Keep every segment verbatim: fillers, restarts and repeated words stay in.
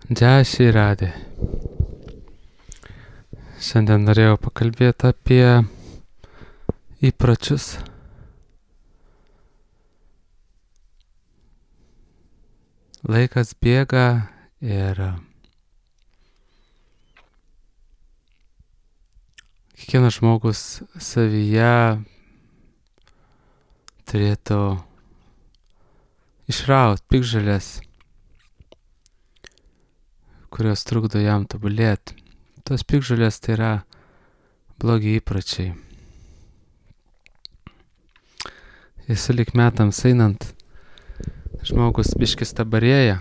Džiašiai radė. Šiandien norėjau pakalbėti apie įpročius. Laikas bėga ir kiekvienas žmogus savyje turėtų išraut piktžoles, kurios trukdo jam tobulėti. Tos piktžolės tai yra blogi įpročiai. Ir sulig metams einant, žmogus biškis tabarėja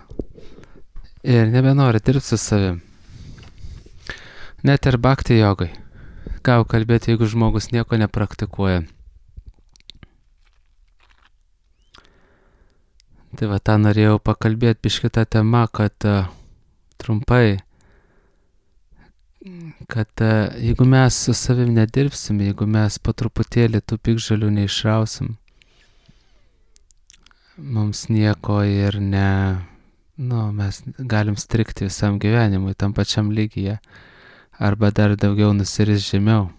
ir nebenori dirbti su savim. Net ir bhakti jogai. Ką kalbėti, jeigu žmogus nieko nepraktikuoja. Tai va, tą norėjau pakalbėti biškį tą temą, kad uh, trumpai, kad uh, jeigu mes su savim nedirbsim, jeigu mes po truputėlį tų piktžolių neišrausim, mums nieko ir ne, nu, mes galim strikti visam gyvenimui tam pačiam lygyje, arba dar daugiau nusiris žemiau.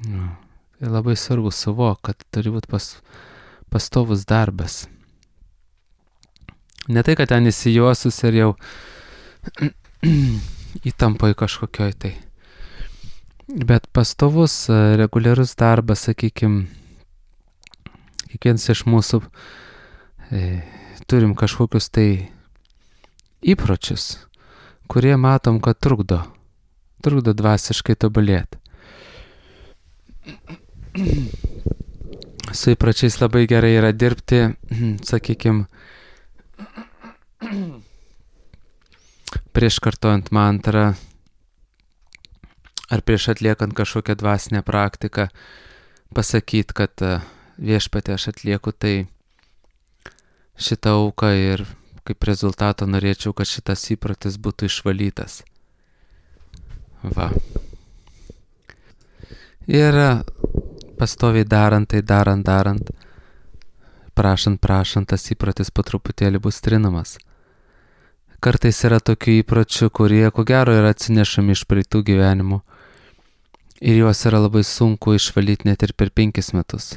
Nu, tai labai svarbu suvok, kad turi būti pas, pastovus darbas. Ne tai, kad ten įsijuosus ir jau įtampoj kažkokioj tai. Bet pastovus, reguliarus darbas, sakykim, kiekvienas iš mūsų e, turim kažkokius tai įpročius, kurie matom, kad trukdo, trukdo dvasiškai tobulėti. Su įpročiais labai gerai yra dirbti, sakykim, prieš kartojant mantrą ar prieš atliekant kažkokią dvasinę praktiką, pasakyti, kad viešpatie aš atlieku tai šitą auką ir kaip rezultato norėčiau, kad šitas įprotis būtų išvalytas. Va. Ir pastoviai darant, tai darant, darant, prašant, prašant, tas įprotis po truputėlį bus trinamas. Kartais yra tokių įpročių, kurie, ko gero, yra atsinešami iš praeitų gyvenimų. Ir juos yra labai sunku išvalyti net ir per penkis metus.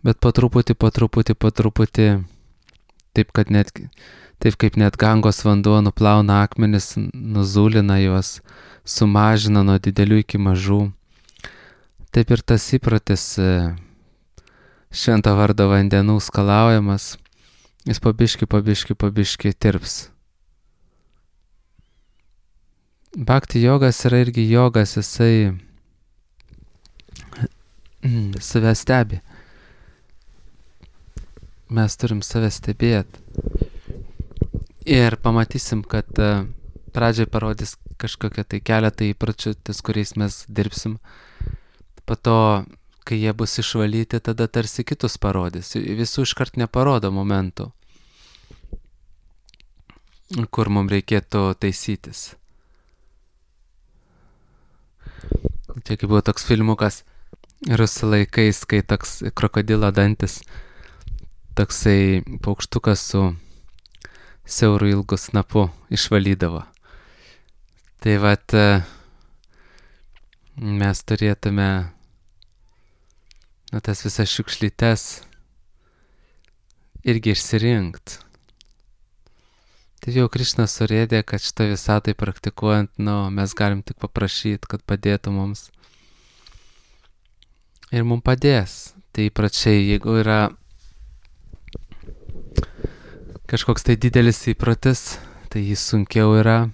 Bet po truputį, po truputį, po truputį, taip, kad net, taip kaip net Gangos vanduo nuplauna akmenis, nuzulina juos, sumažina nuo didelių iki mažų. Taip ir tas įprotis švento vardo vandenų skalaujamas, jis pabiški, pabiški, pabiški tirps. Bhakti jogas yra irgi jogas, jisai save stebi. Mes turim save stebėti. Ir pamatysim, kad uh, pradžiai parodys kažkokią tai keletą įpročių, ties kuriais mes dirbsim. Po to, kai jie bus išvalyti, tada tarsi kitus parodys. Visų iškart neparodo momentų, kur mums reikėtų taisytis. Čia kaip buvo toks filmukas rusų laikais, kai toks krokodilo dantis, toksai paukštukas su siauru ilgu snapu išvalydavo. Tai vat mes turėtume nu, tas visas šiukšlytes irgi išsirinkt. Tai jau Krišna surėdė, kad šitą visatai praktikuojant, nu, mes galim tik paprašyti, kad padėtų mums. Ir mums padės. Tai įpračiai, jeigu yra kažkoks tai didelis įprotis, tai jį sunkiau yra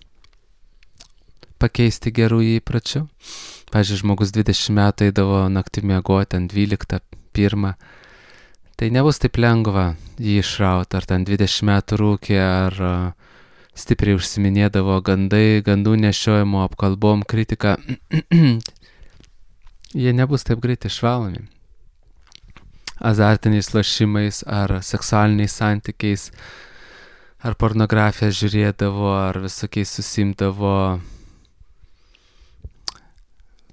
pakeisti gerų įpročių. Pavyzdžiui, žmogus dvidešimt metų eidavo naktį miegoti ant dvyliktą, pirmą. Tai nebus taip lengva jį išrauti, ar ten dvidešimt metų rūkė, ar uh, stipriai užsiminėdavo gandai, gandų nešiojimo, apkalbom, kritika. Jie nebus taip greit išvalomi. Azartiniais lošimais, ar seksualiniais santykiais, ar pornografiją žiūrėdavo, ar visokiais susimdavo,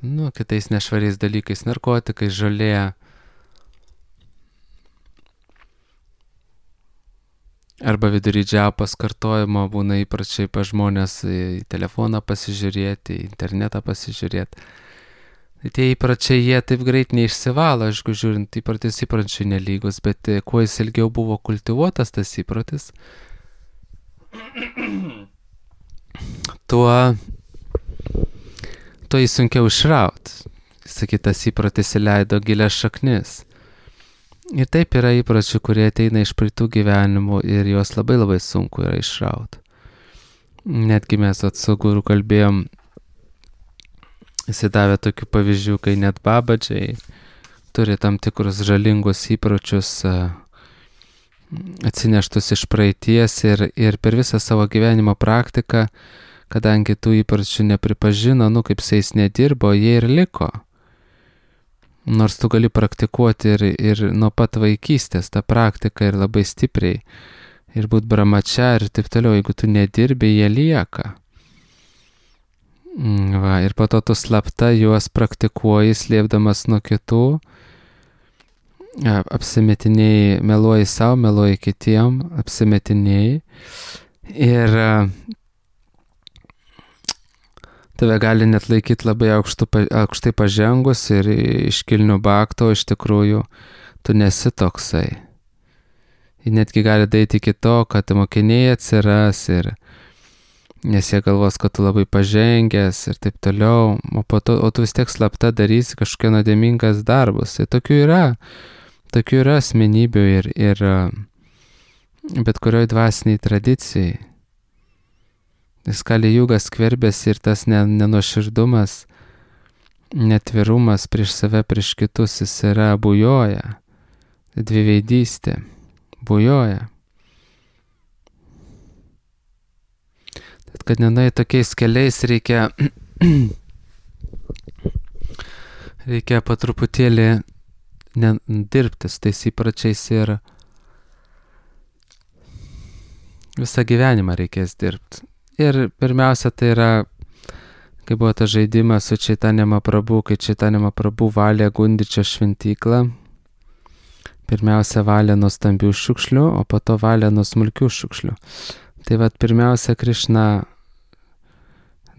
nu, kitais nešvariais dalykais, narkotikais, žolė. Arba vidury džiapos kartojimo būna įpračiai pa žmonės į telefoną pasižiūrėti, į internetą pasižiūrėti. Tie įpračiai jie taip greit neišsivalo, aišku, žiūrint, įpratis įpračiai nelygus, bet kuo jis ilgiau buvo kultivuotas tas įpratis, tuo, tuo jį sunkiau išraut. Sakytas įpratis įleido gilias šaknis. Ir taip yra įpračių, kurie ateina iš praeitų gyvenimų ir juos labai labai sunku yra išraut. Netgi mes su guru kalbėjom, jis davė tokių pavyzdžių, kai net babadžiai turi tam tikrus žalingus įpročius atsineštus iš praeities ir, ir per visą savo gyvenimo praktiką, kadangi tų įpročių nepripažino, nu kaip jais nedirbo, jie ir liko. Nors tu gali praktikuoti ir, ir nuo pat vaikystės tą praktiką ir labai stipriai ir būt brahmačia ir taip toliau, jeigu tu nedirbi, jie lieka. Va, ir po to tu slapta juos praktikuoji, slėpdamas nuo kitų, apsimetinėjai, meluoji savo, meluoji kitiem, apsimetinėjai ir tave gali net laikyti labai aukštų, aukštai pažengus ir iškilnių bakto, iš tikrųjų tu nesi toksai. Ir netgi gali daryti iki to, kad mokiniai atsiras ir nes jie galvos, kad tu labai pažengęs ir taip toliau, o, po to, o tu vis tiek slapta darysi kažkokie nuodėmingas darbus. Tai tokių yra, tokių yra asmenybių ir, ir bet kurioj dvasiniai tradicijai. Kali jugas skverbėsi ir tas nenuoširdumas, netvirumas prieš save, prieš kitus, jis yra bujoja, dviveidystė, bujoja. Tad, kad nenai tokiais keliais reikia, reikia po truputėlį dirbti su tais įpračiais ir visą gyvenimą reikės dirbti. Ir pirmiausia, tai yra, kai buvo tas žaidimas su Čaitanija Mahaprabhu, kai Čaitanija Mahaprabhu valė Gundičio šventyklą. Pirmiausia, valė nuo stambių šiukšlių, o po to valė nuo smulkių šiukšlių. Tai vat pirmiausia, Krišna,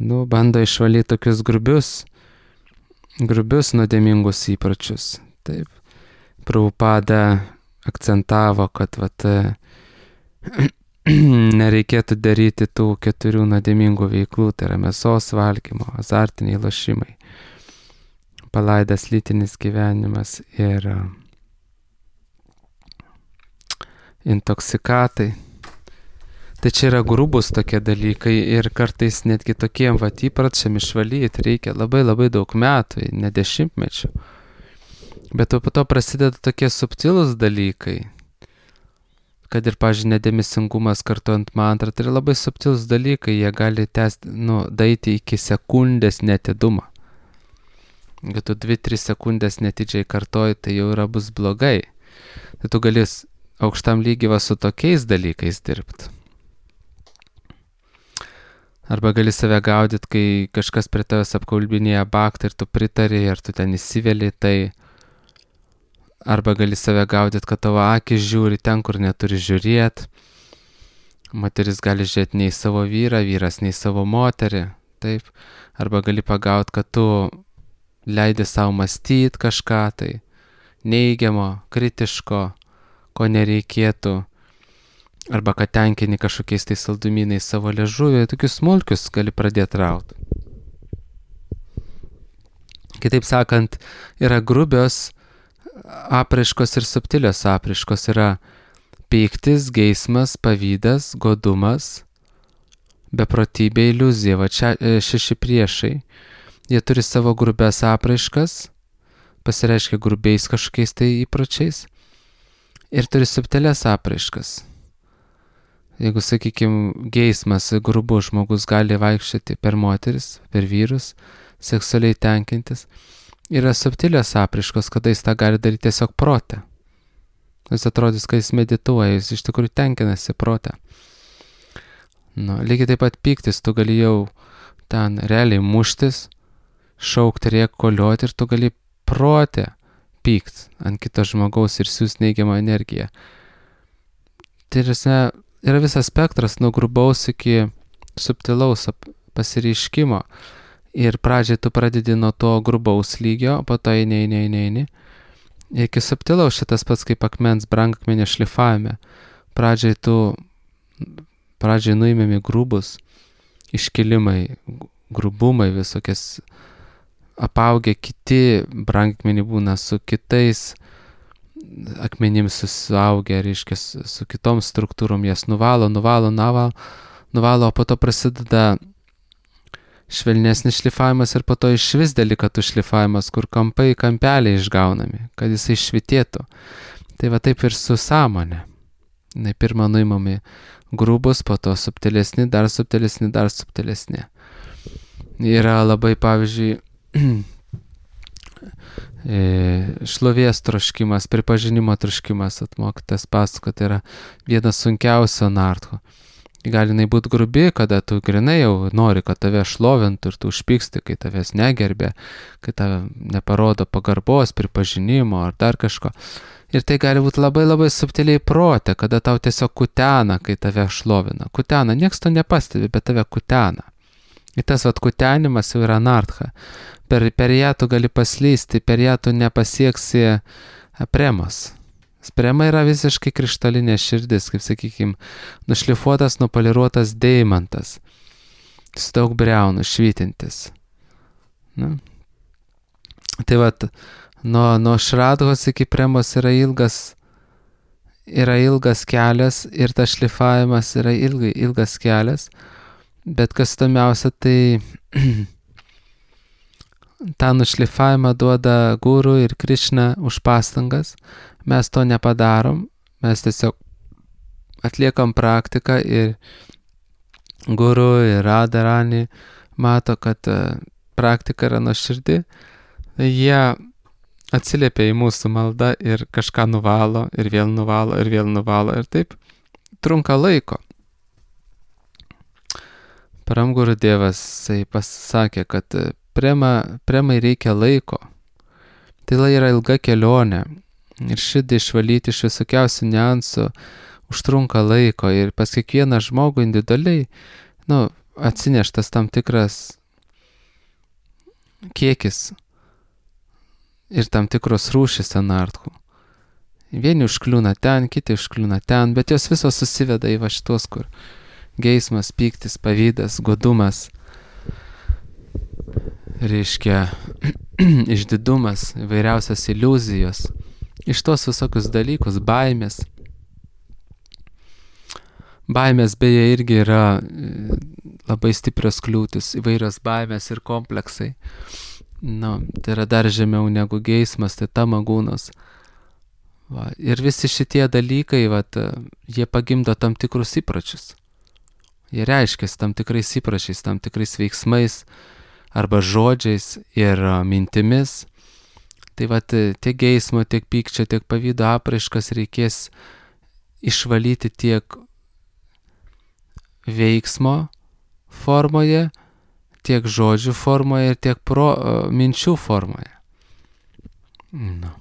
nu, bando išvalyti tokius grubius, grubius nuodėmingus įpročius. Taip, Prabhupada akcentavo, kad vat nereikėtų daryti tų keturių nuodėmingų veiklų, tai yra mėsos valgymo, azartiniai lošimai, palaidas lytinis gyvenimas ir intoksikatai. Tai čia yra grubus tokie dalykai ir kartais netgi tokiem vat įpračiam išvalyti reikia labai labai daug metų, ne dešimtmečių. Bet po to prasideda tokie subtilūs dalykai, kad ir, pavyzdžiui, nedėmesingumas kartuojant mantrą, tai yra labai subtilūs dalykai, jie gali tęsti, nu, daeiti iki sekundės netidumą. Jeigu tu dvi tris sekundės netidžiai kartoji, tai jau yra bus blogai. Tai tu gali aukštam lygiai va su tokiais dalykais dirbti. Arba gali save gaudyti, kai kažkas prie tavęs apkalbinėja baktą ir tu pritari, ar tu ten įsiveli, tai arba gali save gaudyti, kad tavo akis žiūri ten, kur neturi žiūrėti. Moteris gali žiūrėti nei savo vyrą, vyras nei savo moterį. Taip. Arba gali pagauti, kad tu leidi savo mąstyti kažką tai neigiamo, kritiško, ko nereikėtų. Arba kad tenkini kažkokiais tai saldumynais savo liežuvį. Tokius smulkius gali pradėti rauti. Kitaip sakant, yra grubios apraiškos ir subtilios apraiškos, yra pyktis, geismas, pavydas, godumas, beprotybė, iliuzija. Va čia šeši priešai. Jie turi savo grubias apraiškas, pasireiškia grubiais kažkokiais tai įpročiais ir turi subtilias apraiškas. Jeigu, sakykime, geismas, grubus žmogus gali vaikščioti per moteris, per vyrus, seksualiai tenkintis, yra subtilios apraiškos, kada jis tą gali daryti tiesiog prote. Jis atrodys, kad jis medituoja, jis iš tikrųjų tenkinasi prote. Nu, lygiai taip pat pyktis, tu gali jau ten realiai muštis, šaukti, rėk, kolioti ir tu gali prote pykti ant kito žmogaus ir siūs neigiamą energiją. Tai yra yra visas spektras nuo grubaus iki subtilaus pasireiškimo. Ir pradžiai tu pradedi nuo to grubaus lygio, po to eini, eini, eini, eini. Iki subtilaus šitas pats kaip akmens brangakmenio šlifavime. Pradžiai tu, pradžiai nuimami grubus iškilimai, grubumai, visokias apaugę kiti brangakmeniai būna su kitais akmenims susiaugę, reiškia, su kitom struktūrom, jas nuvalo, nuvalo, nuvalo, nuvalo, o po to prasideda švelnesnis šlifavimas ir po to iš vis delikatų šlifavimas, kur kampai, kampeliai išgaunami, kad jisai švitėtų. Tai va taip ir su sąmonė. Na, pirmą nuimami grubus, po to subtilesni, dar subtilesni, dar subtilesni. Yra labai, pavyzdžiui, šlovės troškimas, pripažinimo troškimas, atmokytas pasako, tai yra vienas sunkiausio nartho. Gali jinai būti grubi, kada tu grinai jau nori, kad tave šlovintų ir tu užpyksti, kai tavęs negerbė, kai tave neparodo pagarbos, pripažinimo ar dar kažko. Ir tai gali būti labai labai subtiliai prote, kada tau tiesiog kutena, kai tave šlovina. Kutena, nieks to nepastebi, bet tave kutena. Ir tas vat kutenimas jau yra nartha. Per, per ją tu gali paslysti, per ją tu nepasieksi premos. Sprema yra visiškai krištolinė širdis, kaip sakykime, nušlifuotas, nupoliruotas deimantas, su daug briaunų švytintis. Na. Tai vat, nuo, nuo šradhos iki premos yra ilgas, yra ilgas kelias ir tas šlifavimas yra ilgai, ilgas kelias, bet kas įdomiausia, tai tą nušlifavimą duoda guru ir Krišna už pastangas. Mes to nepadarom, mes tiesiog atliekam praktiką ir guru ir Radharani mato, kad praktika yra nuoširdi. Jie atsiliepia į mūsų maldą ir kažką nuvalo ir vėl nuvalo ir vėl nuvalo ir taip trunka laiko. Param Guru Dievas pasakė, kad prema, premai reikia laiko. Tai yra ilga kelionė. Ir širdį išvalyti iš visokiausių niuansų užtrunka laiko ir pas kiekvieną žmogų individualiai, nu, atsineštas tam tikras kiekis ir tam tikros rūšys anarchų. Vieni užkliūna ten, kiti užkliūna ten, bet jos visos susiveda į va šitos, kur geismas, pyktis, pavydas, godumas, reiškia išdidumas, įvairiausias iliuzijos. Iš tos visokius dalykus, baimės. Baimės beje irgi yra labai stiprios kliūtis, įvairios baimės ir kompleksai. Nu, tai yra dar žemiau negu geismas, tai tamagūnos. Va. Ir visi šitie dalykai, vat, jie pagimdo tam tikrus įpročius. Jie reiškiasi tam tikrais įpročiais, tam tikrais veiksmais arba žodžiais ir mintimis. Tai vat, tiek geismo, tiek pykčio, tiek pavydo apraiškas reikės išvalyti tiek veiksmo formoje, tiek žodžių formoje ir tiek pro, minčių formoje. Nu.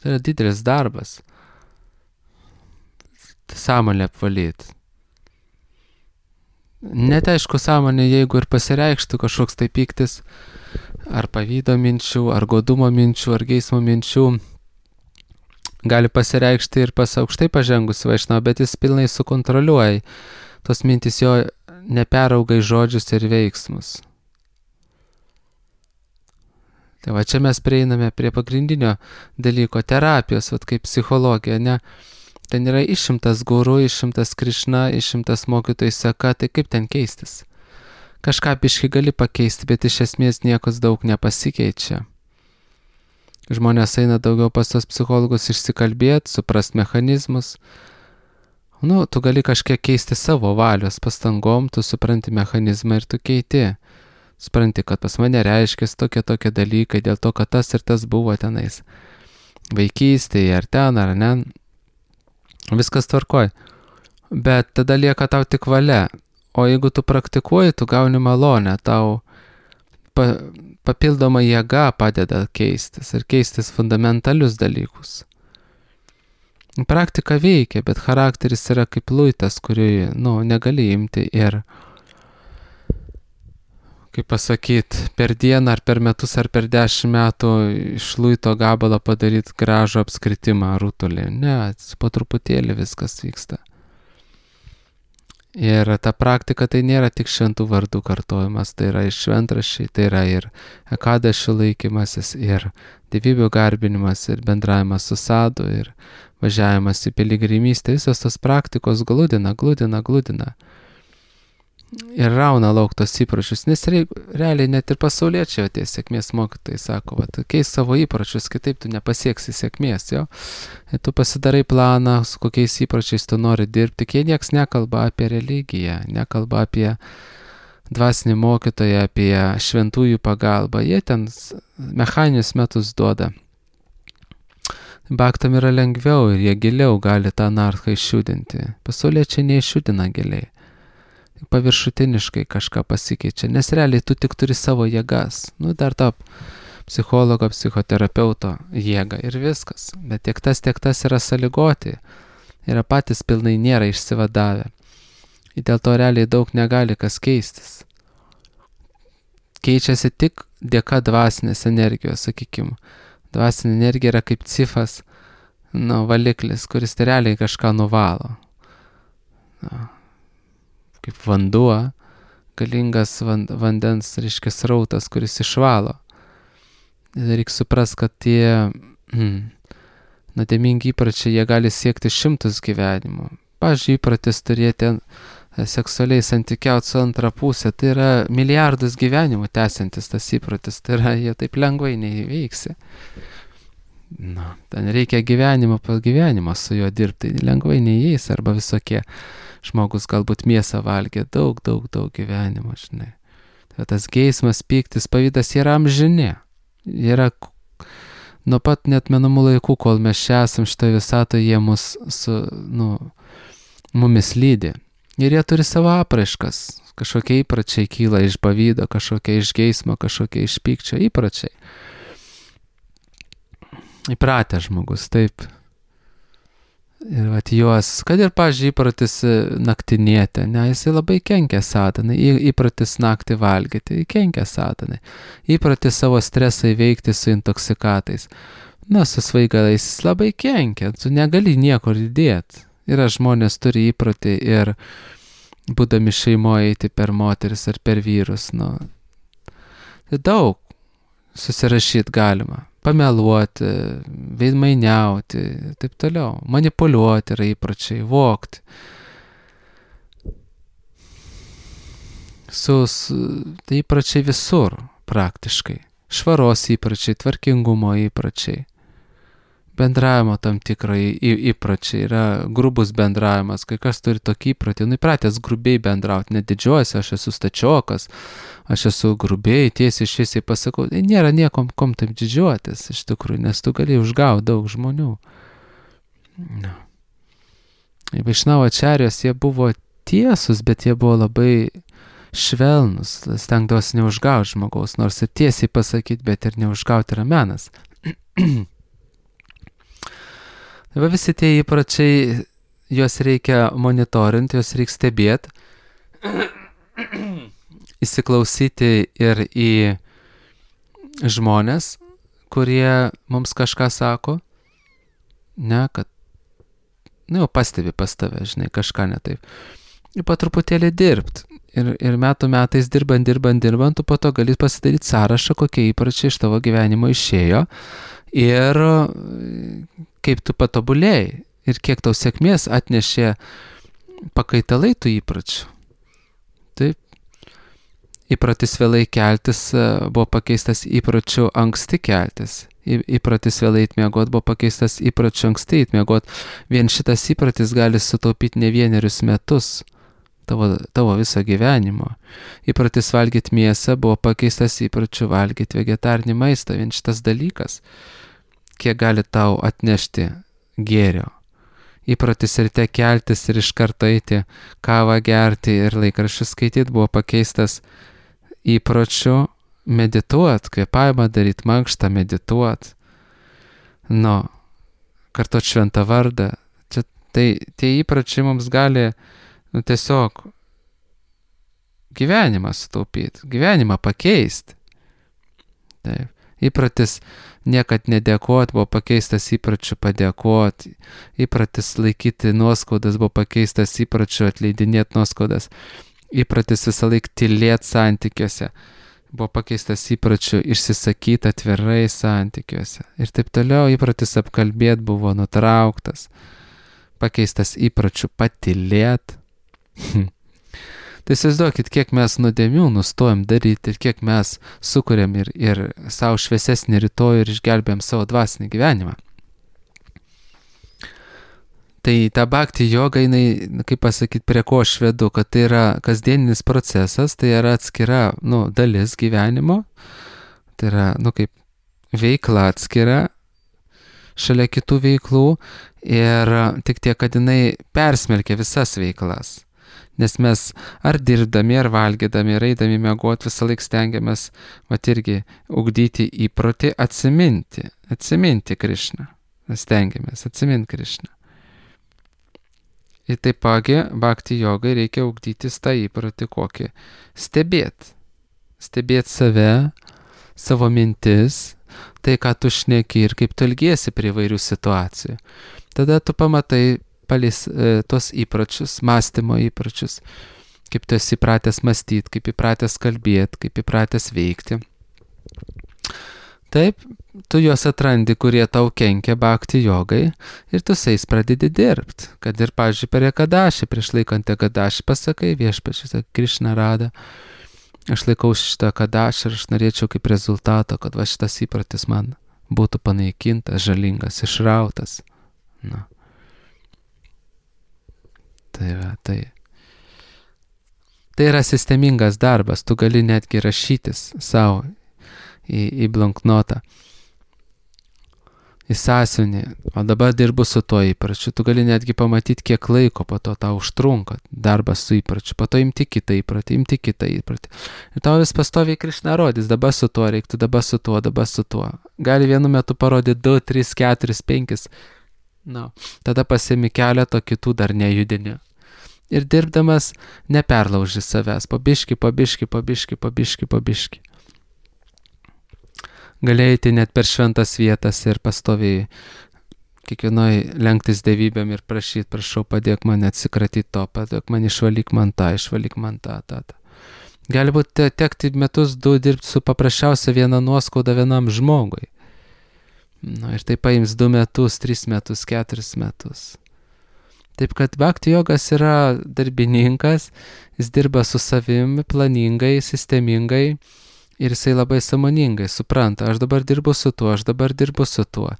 Tai yra didelis darbas. Sąmonę apvalyti. Net aišku, sąmonė, jeigu ir pasireikštų kažkoks tai pyktis, ar pavydo minčių, ar godumo minčių, ar geismo minčių, gali pasireikšti ir pas aukštai pažengusi vaišnava, bet jis pilnai sukontroliuoja. Tos mintys jo neperauga į žodžius ir veiksmus. Tai va čia mes prieiname prie pagrindinio dalyko terapijos, vat kaip psichologija, ne? Ten yra išimtas guru, išimtas Krišna, išimtas mokytojų seka, tai kaip ten keistis? Kažką biškį gali pakeisti, bet iš esmės niekas daug nepasikeičia. Žmonės eina daugiau pas tos psichologus išsikalbėti, suprast mechanizmus. Nu, tu gali kažkiek keisti savo valios pastangom, tu supranti mechanizmą ir tu keiti. Supranti, kad pas mane reiškia tokie tokie dalykai, dėl to, kad tas ir tas buvo tenais. Vaikystėje, ar ten, ar ne. Viskas tvarkoj. Bet tada lieka tau tik valia. O jeigu tu praktikuoji, tu gauni malonę, tau pa, papildoma jėga padeda keistis ir keistis fundamentalius dalykus. Praktika veikia, bet charakteris yra kaip luitas, kurį, nu, negali imti ir, kaip pasakyt, per dieną ar per metus ar per dešimt metų iš luito gabalą padaryti gražų apskritimą rutulį. Ne, po truputėlį viskas vyksta. Ir ta praktika tai nėra tik šventų vardų kartojimas, tai yra ir šventraščiai, tai yra ir ekadašių laikymasis, ir dievybių garbinimas, ir bendravimas su sadu, ir važiavimas į piligrimystę. Visos tos praktikos gludina, gludina, gludina. Ir rauna lauk tos įpročius, nes realiai net ir pasauliečiai tie sėkmės mokytojai sako, va, keis savo įpročius, kitaip tu nepasieksi sėkmės, jo. Ir tu pasidarai planą, su kokiais įpročiais tu nori dirbti, jie nieks nekalba apie religiją, nekalba apie dvasinį mokytoją, apie šventųjų pagalbą, jie ten mechaninius metus duoda. Bhaktam yra lengviau ir jie giliau gali tą narką išjudinti. Pasauliečiai neišjudina giliai. Paviršutiniškai kažką pasikeičia, nes realiai tu tik turi savo jėgas, nu dar tą psichologo, psichoterapeuto jėgą ir viskas, bet tiek tas, tiek tas yra sąlygoti, yra patys pilnai nėra išsivadavę, ir dėl to realiai daug negali kas keistis. Keičiasi tik dėka dvasinės energijos, sakykim, dvasinė energija yra kaip cifas, nu, valiklis, kuris realiai kažką nuvalo. Nu. Kaip vanduo, galingas vandens, reiškia, srautas, kuris išvalo. Reikia suprast, kad tie mm, nuodėmingi įpročiai, jie gali siekti šimtus gyvenimų. Pavyzdžiui, įprotis turėti seksualiai santykiauti su antra pusė, tai yra milijardus gyvenimų tęsiantis tas įprotis, tai yra, jie taip lengvai neįveiksi. Na, ten reikia gyvenimo po gyvenimo su juo dirbti, lengvai neįeis, arba visokie. Žmogus galbūt mėsą valgė daug, daug, daug gyvenimo, žinai. Tai tas geismas, pyktis, pavydas yra amžini. Yra nuo pat net menamų laikų, kol mes čia esam šitoje visatoje, jie mus su, nu, mumis lydi. Ir jie turi savo apraiškas. Kažkokie įpračiai kyla iš pavydo, kažkokie iš geismo, kažkokie iš pykčio įpračiai. Įpratę žmogus, taip. Ir vat juos, kad ir, pavyzdžiui, įpratis naktinėti, ne, jisai labai kenkia satanai, įpratis naktį valgyti, kenkia satanai, įpratis savo stresą įveikti su intoksikatais, na, su svaigalais, jis labai kenkia, tu negali niekur įdėti. Yra žmonės turi įpratį ir būdami šeimoje eiti per moteris ar per vyrus, nu, tai daug susirašyti galima. Pameluoti, veidmainiauti, taip toliau, manipuliuoti yra įpročiai, vogti. Su, su, tai įpročiai visur praktiškai. Švaros įpročiai, tvarkingumo įpročiai. Bendravimo tam tikrai įpročiai, yra grubus bendravimas, kai kas turi tokį įprotį, nu įpratęs grubiai bendrauti, nedidžiuosi, aš esu stačiokas, aš esu grubiai, tiesiai šviesiai pasakau, nėra niekom kom taip didžiuotis iš tikrųjų, nes tu gali užgauti daug žmonių. No. Vaišnavo ačarijos, jie buvo tiesus, bet jie buvo labai švelnus, stengdavosi neužgauti žmogaus, nors ir tiesiai pasakyti, bet ir neužgauti yra menas. Va visi tie įpračiai, juos reikia monitorinti, juos reikia stebėti, įsiklausyti ir į žmonės, kurie mums kažką sako, ne, kad, nu jau pastebi pas tave, žinai, kažką ne taip. Ir po truputėlį dirbti. Ir, ir metų metais dirbant, dirbant, dirbant, tu po to gali pasidaryti sąrašą, kokie įpračiai iš tavo gyvenimo išėjo ir kaip tu patobulėjai ir kiek tau sėkmės atnešė pakaitalai tų įpračių. Taip. Įpratis vėlai keltis buvo pakeistas įpračiu anksti keltis. Įpratis vėlai įtmiegot buvo pakeistas įpračiu anksti įtmiegot. Vien šitas įpratis gali sutaupyti ne vienerius metus tavo, tavo viso gyvenimo. Įpratis valgyti mėsą buvo pakeistas įpračiu valgyti vegetarinį maistą. Vien šitas dalykas, kiek gali tau atnešti gėrio. Įpratis ryte keltis ir iš karto eiti kavą gerti ir laikraščius skaityti buvo pakeistas įpročiu medituot, kvėpavimą daryti, mankštą medituot. Nu, kartot šventą vardą, Tai tie įpročiai mums gali nu, tiesiog gyvenimą sutaupyti, gyvenimą pakeisti. Taip. Įpratis niekad nedėkoti buvo pakeistas įpračiu padėkoti. Įpratis laikyti nuoskaudas buvo pakeistas įpračiu atleidinėti nuoskaudas. Įpratis visą laiką tylėti santykiuose buvo pakeistas įpračiu išsisakyti atvirai santykiuose. Ir taip toliau įpratis apkalbėti buvo nutrauktas. Pakeistas įpračiu patylėti. Tai įsivaizduokit, kiek mes nuodėmių nustojam daryti ir kiek mes sukuriam ir, ir savo šviesesnį rytojų ir išgelbėjam savo dvasinį gyvenimą. Tai ta bhakti joga, jinai, kaip pasakyti, prie ko aš vedu, kad tai yra kasdieninis procesas, tai yra atskira nu, dalis gyvenimo, tai yra nu, kaip veikla atskira šalia kitų veiklų ir tik tiek, kad jinai persmelkia visas veiklas. Nes mes ar dirbdami, ar valgydami, ar eidami miegoti visą laiką stengiamės, mat irgi, ugdyti įprotį atsiminti, atsiminti Krišną. Stengiamės atsiminti Krišną. Ir taipagi, bhakti jogai reikia ugdytis tą įprotį kokį. Stebėti. Stebėti save, savo mintis, tai ką tu šneki ir kaip tu elgiesi prie įvairių situacijų. Tada tu pamatai palis e, tos įpročius, mąstymo įpročius, kaip tu esi įpratęs mąstyti, kaip įpratęs kalbėti, kaip įpratęs veikti. Taip, tu juos atrandi, kurie tau kenkia bhakti jogai ir tu su jais pradedi dirbti. Kad ir, pavyzdžiui, per ekadašį, prieš laikant ekadašį pasakai, viešpačiui, sakai, Krišna Rada, aš laikau šitą ekadašį ir aš norėčiau kaip rezultato, kad va šitas įprotis man būtų panaikintas, žalingas, išrautas. Na. Tai, va, tai. tai yra sistemingas darbas, tu gali netgi rašytis savo į, į blanknotą, į sąsiuvinį, o dabar dirbu su tuo įpračiu, tu gali netgi pamatyti, kiek laiko po to tau užtrunka darbas su įpračiu, po to imti kitą įpratį, imti kitą įpratį. Ir tau vis pastoviai Krišna rodys, dabar su tuo reiktų, dabar su tuo, dabar su tuo. Gali vienu metu parodyti du, tris, keturis, penkis. Na, tada pasiemi keletą kitų dar nejudini. Ir dirbdamas neperlauži savęs, pabiški, pabiški, pabiški, pabiški, pabiški. Galėjai net per šventas vietas ir pastoviai kiekvienoj lenktis dievybėm ir prašyti, prašau, padėk man atsikratyti to, padėk man išvalyk man tą, išvalyk man tą, tą, tą. Gali būti tekti metus du dirbti su paprasčiausia viena nuoskauda vienam žmogui. Nu, ir tai paims du metus, tris metus, keturis metus. Taip kad bhakti jogas yra darbininkas, jis dirba su savimi planingai, sistemingai ir jisai labai sąmoningai supranta, aš dabar dirbu su tuo, aš dabar dirbu su tuo.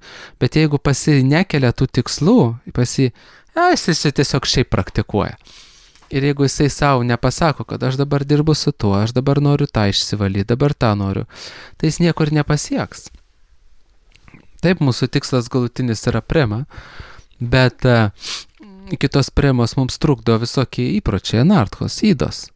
Bet jeigu pasi nekelia tų tikslų, pasi, ja, jis tiesiog šiaip praktikuoja. Ir jeigu jisai savo nepasako, kad aš dabar dirbu su tuo, aš dabar noriu tą išsivalyti, dabar tą noriu, tai jis niekur nepasieks. Taip, mūsų tikslas galutinis yra prema, bet uh, kitos premos mums trukdo visokie įpročiai, anarthos, įdos.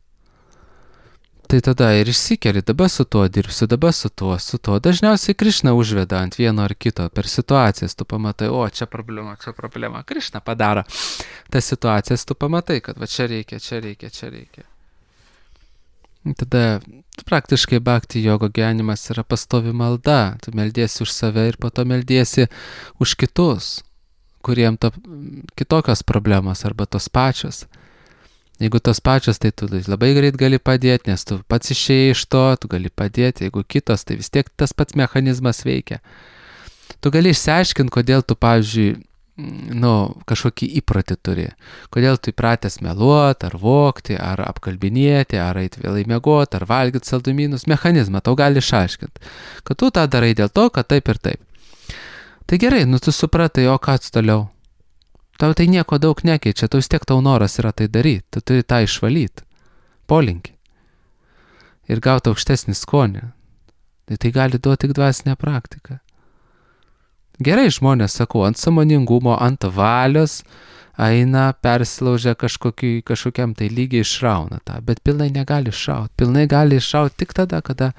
Tai tada ir išsikeli, dabar su tuo dirbsiu, dabar su tuo, su tuo. Dažniausiai Krišna užveda ant vieno ar kito per situacijas, tu pamatai, o čia problema, čia problema. Krišna padaro tas situacijas, tu pamatai, kad va čia reikia, čia reikia, čia reikia. Tada praktiškai bhakti jogo gyvenimas yra pastovi malda. Tu meldiesi už save ir po to meldiesi už kitus, kuriem to kitokios problemos arba tos pačios. Jeigu tos pačios, tai tu labai greit gali padėti, nes tu pats išėjai iš to, tu gali padėti. Jeigu kitos, tai vis tiek tas pats mechanizmas veikia. Tu gali išsiaiškinti, kodėl tu, pavyzdžiui, nu, kažkokį įprotį turi. Kodėl tu įpratęs meluoti, ar vogti, ar apkalbinėti, ar eiti vėlai miegoti, ar valgyti saldumynus. Mechanizmą tau gali išaiškinti. Kad tu tą darai dėl to, kad taip ir taip. Tai gerai, nu tu supratai, o ką tu toliau? Tau tai nieko daug nekeičia, tu vis tiek tau noras yra tai daryti, tu turi tą išvalyti, polinkį ir gauti aukštesnį skonį. Tai tai gali duoti tik dvasinę praktiką. Gerai žmonės, sakau, ant sąmoningumo, ant valios eina, persilaužia kažkokį, kažkokiam tai lygiai išrauna tą, bet pilnai negali išrauti. Pilnai gali išrauti tik tada, kada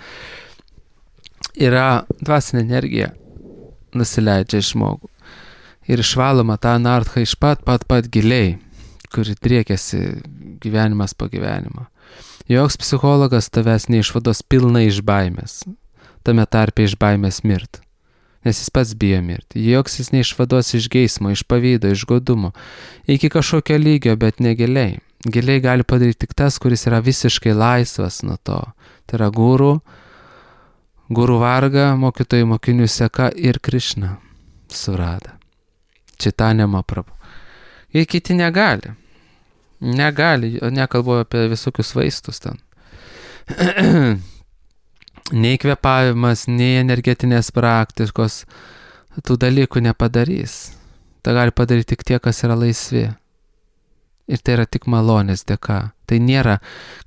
yra dvasinė energija nusileidžia žmogų. ir išvaloma tą anarchą iš pat pat pat giliai, kuri driekiasi gyvenimas po gyvenimo. Joks psichologas tavęs neišvados pilnai iš baimės, tame tarpe iš baimės mirt, nes jis pats bijo mirti. Joks jis neišvados iš geismo, iš pavydo, iš godumo, iki kažkokio lygio, bet ne giliai. Giliai gali padaryti tik tas, kuris yra visiškai laisvas nuo to. Tai yra guru, guru varga, mokytojų mokinių seka ir Krišna surada. Čitanja Mahaprabhu. Ir kiti negali. Negali, nekalbu apie visokius vaistus ten. Nei kvėpavimas, nei energetinės praktikos tų dalykų nepadarys. Tai gali padaryti tik tie, kas yra laisvi. Ir tai yra tik malonės dėka. Tai nėra,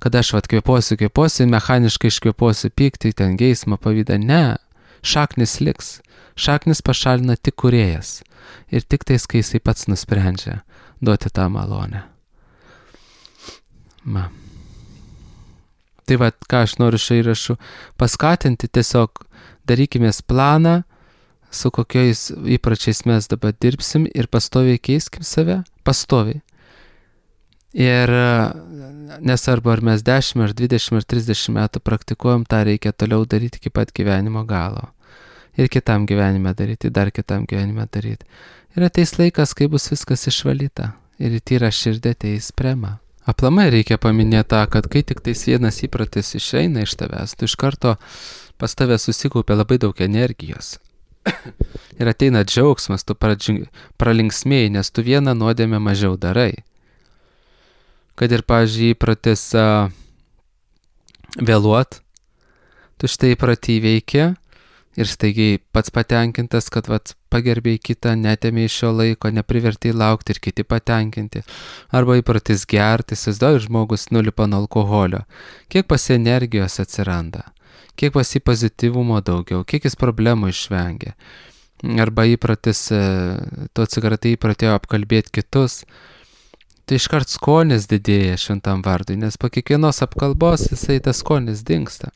kad aš vat kvėpuosiu, kvėpuosiu, mechaniškai iškvėpuosiu pyktį, ten geismą, pavydą. Ne, šaknis liks. Šaknis pašalina tik kūrėjas. Ir tik tais, kai jisai pats nusprendžia duoti tą malonę. Ma. Tai vat, ką aš noriu šio įrašu paskatinti, tiesiog darykimės planą, su kokiais įpračiais mes dabar dirbsim ir pastoviai keiskim save, pastoviai. Ir nesvarbu, ar mes dešimt, ar dvidešimt, ar trisdešimt metų praktikuojam, tą reikia toliau daryti iki pat gyvenimo galo. Ir kitam gyvenime daryti, dar kitam gyvenime daryti. Ir ateis laikas, kai bus viskas išvalyta. Ir į tyrą širdį ateis prema. Aplamai reikia paminėti tą, kad kai tik tais vienas įpratis išeina iš tavęs, tu iš karto pas tave susikaupia labai daug energijos. Ir ateina džiaugsmas, tu pralinksmėjai, nes tu vieną nuodėmę mažiau darai. Kad ir, pavyzdžiui, įpratis uh, vėluot, tu štai įpratį įveikė ir staigiai pats patenkintas, kad vat, pagerbėjai kitą, netėmė iš šio laiko, neprivertėjai laukti ir kiti patenkinti. Arba įpratis gerti, įsivaizduoji, žmogus nulipa nuo alkoholio. Kiek pas energijos atsiranda, kiek pas jį pozityvumo daugiau, kiek jis problemų išvengia. Arba įpratis, to cigaretą įpratėjo apkalbėti kitus. Tai iškart skonis didėja šventam vardui, nes po kiekvienos apkalbos jisai tas skonis dingsta.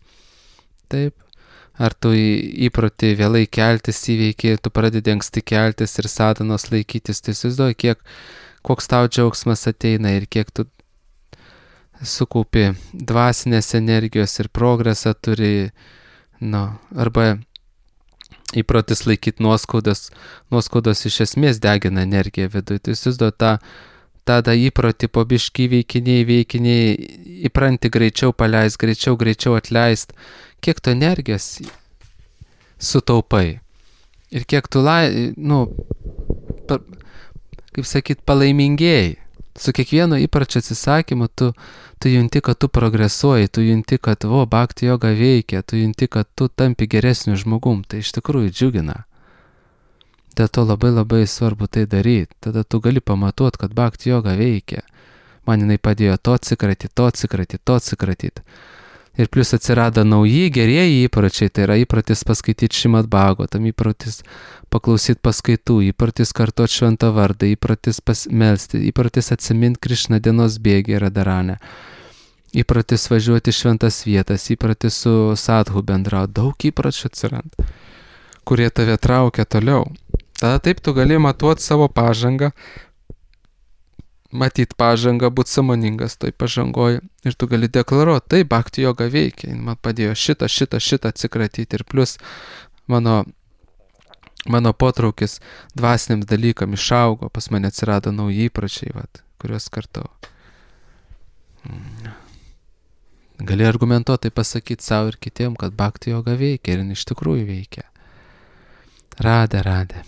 Taip. Ar tu įprotį vėlai keltis įveikė, tu pradedi anksti keltis ir sadanos laikytis, tai įsivaizduoji, kiek, koks tau džiaugsmas ateina ir kiek tu sukaupi dvasinės energijos ir progresą turi, nu, arba įprotis laikyti nuoskaudas, nuoskaudos iš esmės degina energiją viduje, tai įsivaizduoji tą, tada įprotį po biškį veikiniai, veikiniai, įpranti greičiau paleist, greičiau, greičiau atleist, kiek tu energijos sutaupai ir kiek tu, lai, nu, pa, kaip sakyt, palaimingėjai. Su kiekvienu įpračio atsisakymu tu, tu junti, kad tu progresuoji, tu junti, kad vo, bhakti joga veikia, tu junti, kad tu tampi geresniu žmogum. Tai iš tikrųjų džiugina. Dėl to labai labai svarbu tai daryti. Tada tu gali pamatuoti, kad bhakti joga veikia. Man jinai padėjo to atsikratyti, to atsikratyti, to atsikratyti. Ir plus atsirado nauji gerieji įpročiai, tai yra įprotis paskaityti Šrimad Bhagavatam, įprotis paklausyti paskaitų, įprotis kartuoti šventą vardą, įprotis pasmelsti, įprotis atsiminti Krišną dienos bėgį Radharane, įprotis važiuoti šventas vietas, įprotis su sadhu bendrauti, daug įpročių atsiranda, kurie tave traukia toliau. Tada taip tu gali matuoti savo pažangą, matyti pažangą, būti sąmoningas toj pažangoje ir tu gali deklaruoti, tai bhakti joga veikia, man padėjo šitą, šitą, šitą atsikratyti ir plus mano, mano potraukis dvasiniams dalykam išaugo, pas mane atsirado nauji įpročiai, vat, kuriuos kartau. Gali argumentuotai pasakyti savo ir kitiem, kad bhakti joga veikia ir iš tikrųjų veikia. Radhe, radhe.